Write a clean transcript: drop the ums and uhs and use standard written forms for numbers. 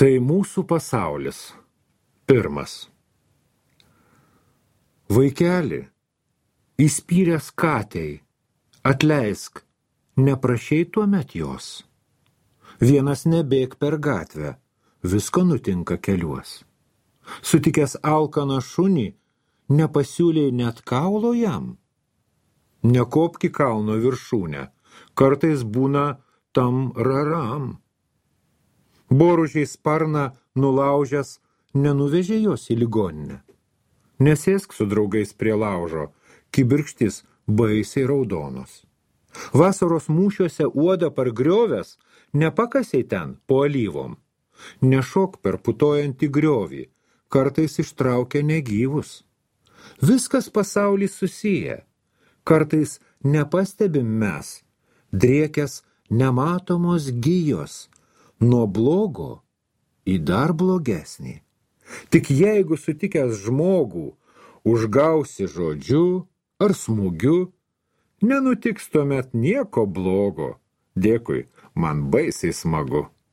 Tai mūsų pasaulis. Pirmas. Vaikeli, įspyręs katei, atleisk, neprašei tuomet jos. Vienas nebėg per gatvę, visko nutinka keliuos. Sutikęs alkaną šunį, nepasiūlei net kaulo jam. Nekopki kalno viršūnę, kartais būna tam raram. Boružiai sparną nulaužęs, nenuvežė jos į ligoninę. Nesėsk su draugais prie laužo, kibirkštis baisiai raudonos. Vasaros mūšiuose uodą pargriovęs, nepakasiai ten po alyvom. Nešok per putojantį griovį, kartais ištraukia negyvus. Viskas pasaulis susiję, kartais nepastebim mes, driekęs nematomos gijos, nuo blogo į dar blogesnį. Tik jeigu sutikęs žmogų, užgausi žodžiu ar smūgiu, nenutiks tuomet nieko blogo. Dėkui, man baisiai smagu.